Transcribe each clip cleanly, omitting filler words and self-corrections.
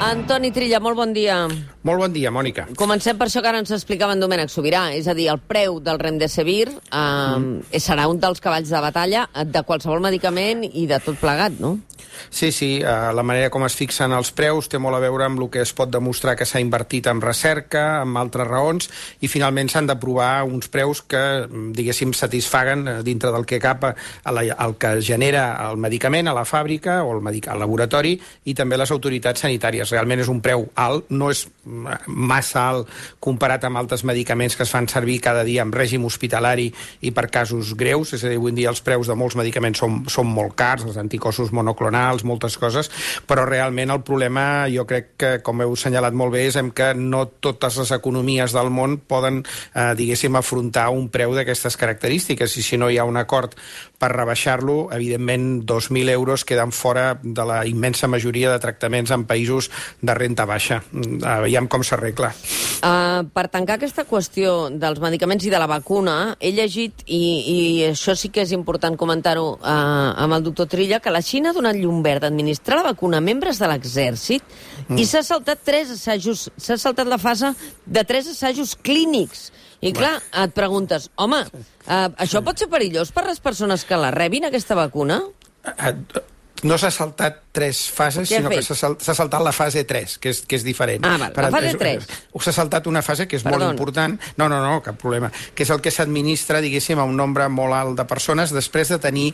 Antoni Trilla, molt bon dia. Molt bon dia, Mònica. Comencem per això que ara ens explicava en Domènec Sobirà, és a dir, el preu del Remdesivir serà un dels cavalls de batalla de qualsevol medicament i de tot plegat, no? Sí, la manera com es fixen els preus té molt a veure amb el que es pot demostrar que s'ha invertit en recerca, amb altres raons, i finalment s'han d'aprovar uns preus que, diguéssim, satisfaguen dintre del que cap el que genera el medicament a la fàbrica o al laboratori i també les autoritats sanitàries. Realment és un preu alt, no és massa alt comparat amb altres medicaments que es fan servir cada dia en règim hospitalari i per casos greus, és a dir, avui en dia els preus de molts medicaments són molt cars, els anticossos monoclonals, moltes coses, però realment el problema, jo crec que, com heu assenyalat molt bé, és que no totes les economies del món poden, diguéssim, afrontar un preu d'aquestes característiques, i si no hi ha un acord per rebaixar-lo, evidentment 2.000 euros queden fora de la immensa majoria de tractaments en països de renda baixa. Veiem com s'arregla. Per tancar aquesta qüestió dels medicaments i de la vacuna, he llegit, i això sí que és important comentar-ho amb el doctor Trilla, que la Xina ha donat llum verd a administrar la vacuna a membres de l'exèrcit i s'ha saltat la fase de 3 assajos clínics. I clar, et preguntes, home, això pot ser perillós per les persones que la rebin, aquesta vacuna? No s'ha saltat 3 fases, sinó que s'ha saltat la fase 3, que és diferent. La fase 3. S'ha saltat una fase que és molt important. No, cap problema. Que és el que s'administra, diguéssim, a un nombre molt alt de persones després de tenir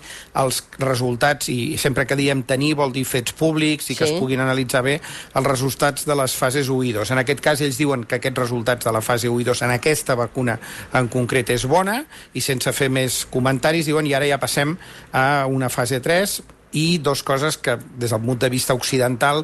els resultats, i sempre que diem tenir vol dir fets públics i que es puguin analitzar bé els resultats de les fases 1 i 2. En aquest cas, ells diuen que aquests resultats de la fase 1 i 2 en aquesta vacuna en concret és bona, i sense fer més comentaris diuen i ara ja passem a una fase 3, i 2 coses que, des del punt de vista occidental,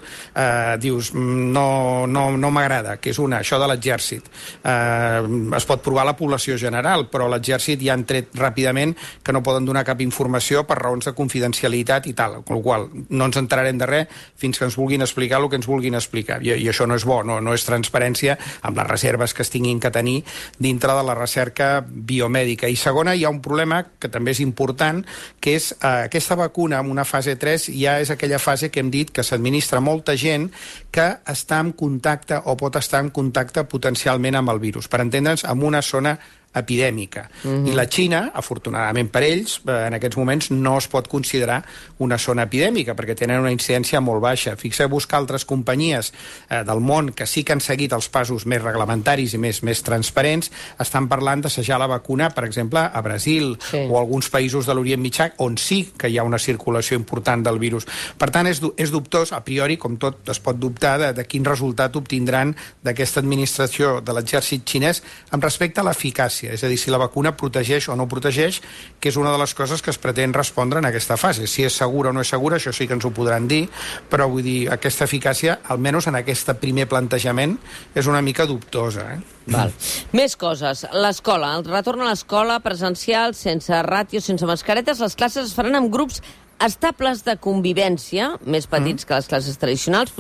dius, no m'agrada, que és una, això de l'exèrcit. Es pot provar a la població general, però l'exèrcit ja han tret ràpidament que no poden donar cap informació per raons de confidencialitat i tal, amb la qual no ens enterarem de res fins que ens vulguin explicar el que ens vulguin explicar. I això no és bo, no és transparència amb les reserves que es tinguin que tenir dintre de la recerca biomèdica. I segona, hi ha un problema que també és important, que és aquesta vacuna amb una fase 3 ja és aquella fase que hem dit que s'administra molta gent que està en contacte o pot estar en contacte potencialment amb el virus. Per entendre'ns, en una zona epidèmica. I la Xina, afortunadament per ells, en aquests moments no es pot considerar una zona epidèmica perquè tenen una incidència molt baixa. Fixeu-vos que altres companyies del món que sí que han seguit els passos més reglamentaris i més transparents estan parlant d'assajar la vacuna, per exemple, a Brasil o alguns països de l'Orient Mitjà on sí que hi ha una circulació important del virus. Per tant, és dubtós, a priori, com tot es pot dubtar de quin resultat obtindran d'aquesta administració de l'exèrcit xinès amb respecte a l'eficàcia. És a dir, si la vacuna protegeix o no protegeix, que és una de les coses que es pretén respondre en aquesta fase. Si és segura o no és segura, això sí que ens ho podran dir, però vull dir, aquesta eficàcia, almenys en aquest primer plantejament, és una mica dubtosa. Val. Més coses. L'escola, el retorn a l'escola presencial, sense ràtio, sense mascaretes, les classes es faran en grups estables de convivència, més petits que les classes tradicionals,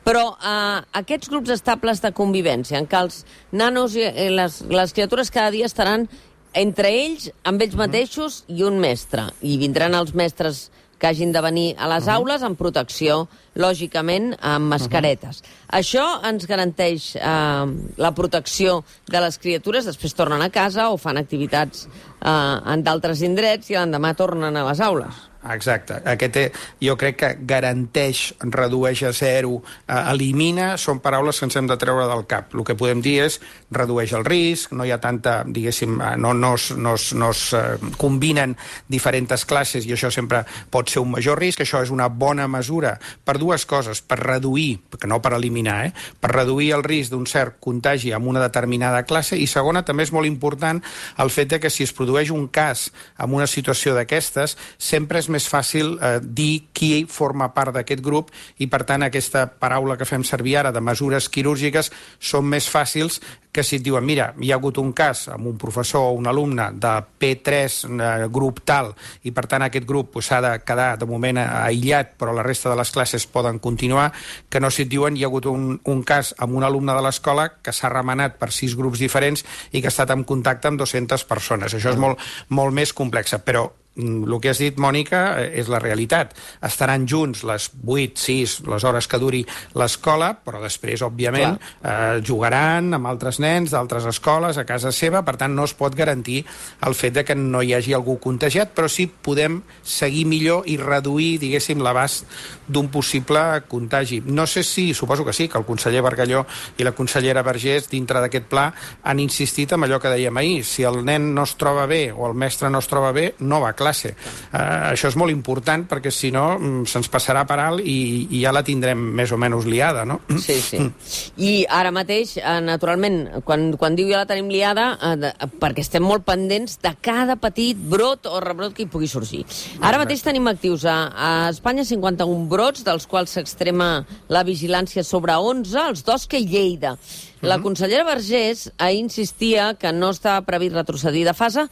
però aquests grups estables de convivència, en què els nanos i les criatures cada dia estaran entre ells, amb ells mateixos i un mestre, i vindran els mestres que hagin de venir a les aules amb protecció, lògicament, amb mascaretes. Això ens garanteix la protecció de les criatures, després tornen a casa o fan activitats en d'altres indrets i l'endemà tornen a les aules. Exacte. Jo crec que garanteix, redueix a 0, elimina, són paraules que ens hem de treure del cap. El que podem dir és redueix el risc, no hi ha tanta, diguéssim, no es combinen diferents classes i això sempre pot ser un major risc. Això és una bona mesura per 2 coses, per reduir, que no per eliminar, per reduir el risc d'un cert contagi en una determinada classe, i segona, també és molt important el fet de que si es produeix un cas en una situació d'aquestes, sempre és més fàcil dir qui forma part d'aquest grup i, per tant, aquesta paraula que fem servir ara de mesures quirúrgiques són més fàcils que si et diuen, mira, hi ha hagut un cas amb un professor o un alumne de P3, grup tal, i per tant aquest grup s'ha de quedar de moment aïllat, però la resta de les classes poden continuar, que no si et diuen hi ha hagut un cas amb un alumne de l'escola que s'ha remenat per 6 grups diferents i que ha estat en contacte amb 200 persones. Això és molt més complex, però el que has dit, Mònica, és la realitat. Estaran junts les 8, 6, les hores que duri l'escola, però després, òbviament, jugaran amb altres nens d'altres escoles a casa seva, per tant no es pot garantir el fet de que no hi hagi algú contagiat, però sí podem seguir millor i reduir, diguéssim, l'abast d'un possible contagi. No sé si, suposo que sí, que el conseller Bargalló i la consellera Vergés, dintre d'aquest pla, han insistit en allò que dèiem ahir. Si el nen no es troba bé o el mestre no es troba bé, no va a classe. Això és molt important perquè si no se'ns passarà per alt i ja la tindrem més o menys liada, no? Sí, sí. I ara mateix, naturalment, quan diu ja la tenim liada, perquè estem molt pendents de cada petit brot o rebrot que hi pugui sorgir. Ara mateix tenim actius a Espanya 51 brots, dels quals s'extrema la vigilància sobre 11, els d'Osca i Lleida. La consellera Vergés insistia que no estava previst retrocedir de fase,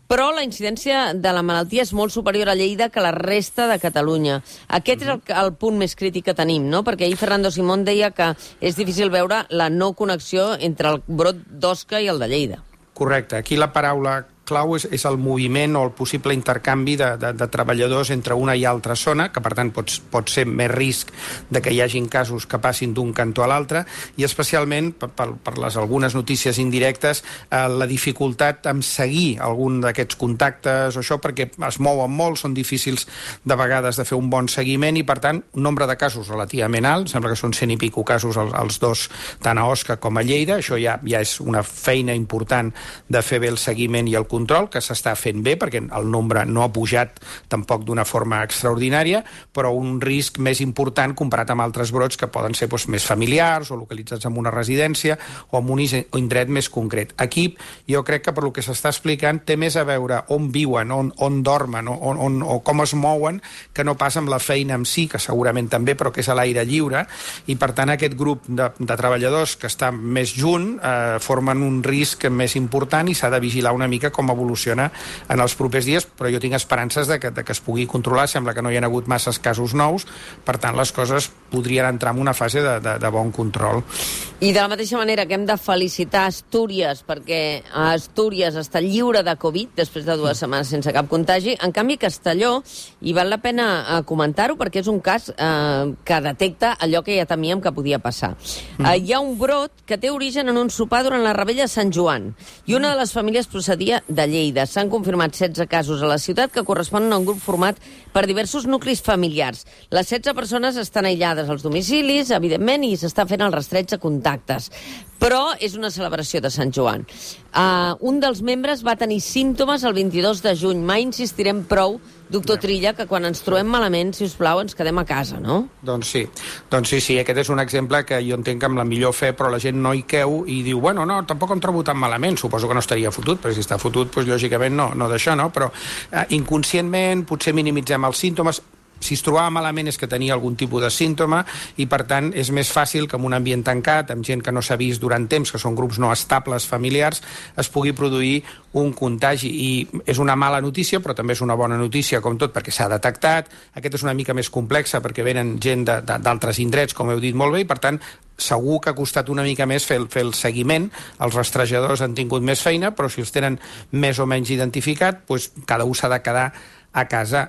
però la incidència de la malaltia és molt superior a Lleida que a la resta de Catalunya. Aquest és el punt més crític que tenim, no? Perquè ahir Fernando Simón deia que és difícil veure la no connexió entre el brot d'Osca i el de Lleida. Correcte. Aquí la paraula clau és el moviment o el possible intercanvi de treballadors entre una i altra zona, que per tant pot ser més risc de que hi hagin casos que passin d'un cantó a l'altre, i especialment per les algunes notícies indirectes, la dificultat en seguir algun d'aquests contactes o això, perquè es mouen molt, són difícils de vegades de fer un bon seguiment i per tant un nombre de casos relativament alt, sembla que són 100 i pico casos els dos, tant a Osca com a Lleida, això ja és una feina important de fer bé el seguiment i el control, que s'està fent bé, perquè el nombre no ha pujat tampoc d'una forma extraordinària, però un risc més important comparat amb altres brots que poden ser més familiars o localitzats en una residència o en un indret més concret. Aquí jo crec que per lo que s'està explicant té més a veure on viuen, on dormen o com es mouen, que no pas amb la feina en si, que segurament també, però que és a l'aire lliure, i per tant aquest grup de treballadors que està més junt formen un risc més important i s'ha de vigilar una mica com evoluciona en els propers dies, però jo tinc esperances de que es pugui controlar. Sembla que no hi ha hagut masses casos nous, per tant les coses podrien entrar en una fase de bon control. I de la mateixa manera que hem de felicitar Astúries, perquè Astúries està lliure de Covid després de 2 setmanes sense cap contagi. En canvi, Castelló, i val la pena comentar-ho perquè és un cas que detecta allò que ja temíem que podia passar. Hi ha un brot que té origen en un sopar durant la Revetlla de Sant Joan, i una de les famílies procedia de Lleida. S'han confirmat 16 casos a la ciutat que corresponen a un grup format per diversos nuclis familiars. Les 16 persones estan aïllades als domicilis, evidentment, i s'està fent el rastreig de contactes. Però és una celebració de Sant Joan. Un dels membres va tenir símptomes el 22 de juny. Mai insistirem prou, doctor Trilla, que quan ens trobem malament, si us plau, ens quedem a casa, no? Doncs sí, aquest és un exemple que jo entenc amb la millor fe, però la gent no hi creu i diu, bueno, no, tampoc em trobo tan malament, suposo que no estaria fotut, perquè si està fotut, doncs lògicament no d'això, no? Però inconscientment potser minimitzem els símptomes. Si es trobava malament és que tenia algun tipus de símptoma i, per tant, és més fàcil que en un ambient tancat, amb gent que no s'ha vist durant temps, que són grups no estables familiars, es pugui produir un contagi. I és una mala notícia, però també és una bona notícia, com tot, perquè s'ha detectat. Aquest és una mica més complexa, perquè venen gent d'altres indrets, com heu dit molt bé, i, per tant, segur que ha costat una mica més fer el seguiment. Els rastrejadors han tingut més feina, però si els tenen més o menys identificat, doncs cada un s'ha de quedar a casa.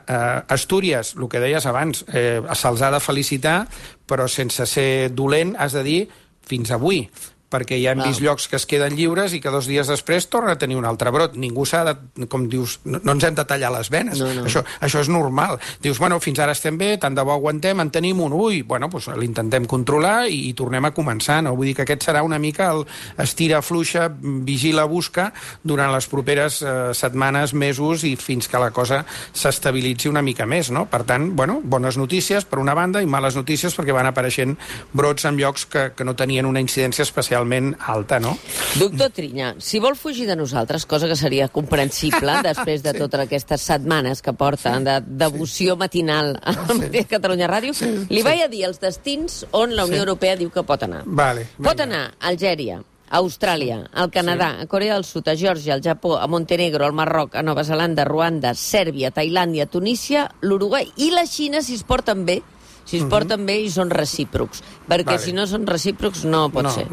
Astúries, el que deies abans, se'ls ha de felicitar, però sense ser dolent has de dir fins avui, perquè ja hem vist llocs que es queden lliures i que 2 dies després torna a tenir un altre brot. Ningú s'ha de, com dius, no ens hem de tallar les venes. No. Això és normal. Dius, bueno, fins ara estem bé, tant de bo aguantem, en tenim un, bueno, doncs l'intentem controlar i tornem a començar, no? Vull dir que aquest serà una mica el estira, fluixa, vigila, busca durant les properes setmanes, mesos i fins que la cosa s'estabilitzi una mica més, no? Per tant, bueno, bones notícies per una banda i males notícies perquè van apareixent brots en llocs que no tenien una incidència especial alta, no? Doctor Trilla, si vol fugir de nosaltres, cosa que seria comprensible després de totes aquestes setmanes que porten de devoció matinal al Catalunya Ràdio, li vaig a dir els destins on la Unió Europea diu que pot anar. Pot anar a Algèria, a Austràlia, al Canadà, a Corea del Sud, a Geòrgia, al Japó, a Montenegro, al Marroc, a Nova Zelanda, Ruanda, Sèrbia, Tailàndia, Tunísia, l'Uruguai i la Xina, si es porten bé, si es porten bé i són recíprocs, perquè si no són recíprocs no pot ser.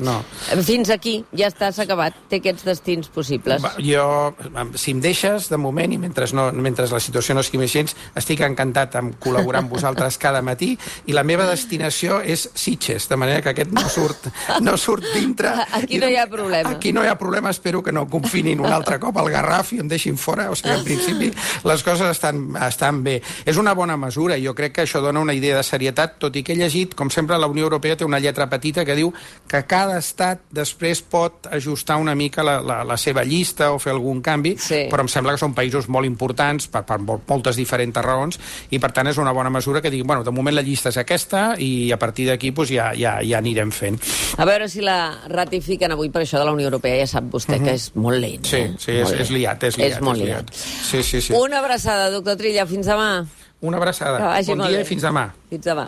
Fins aquí, ja està, s'ha acabat, té aquests destins possibles. Jo, si em deixes, de moment, i mentre la situació no sigui més gens, estic encantat amb col·laborar amb vosaltres cada matí, i la meva destinació és Sitges, de manera que aquest no surt dintre. Aquí no hi ha problema. Aquí no hi ha problema, espero que no confinin un altre cop al Garraf i em deixin fora, o sigui, en principi les coses estan bé. És una bona mesura, jo crec que això dona una idea de serietat, tot i que he llegit, com sempre, la Unió Europea té una lletra petita que diu que cada estat després pot ajustar una mica la seva llista o fer algun canvi, però em sembla que són països molt importants per moltes diferents raons, i per tant és una bona mesura que diguin, bueno, de moment la llista és aquesta i a partir d'aquí ja anirem fent. A veure si la ratifiquen avui, per això de la Unió Europea ja sap vostè que és molt lent. Sí, és liat. És molt liat. Sí. Una abraçada, doctor Trilla, fins demà. Una abraçada. Bon dia i fins demà. Fins demà.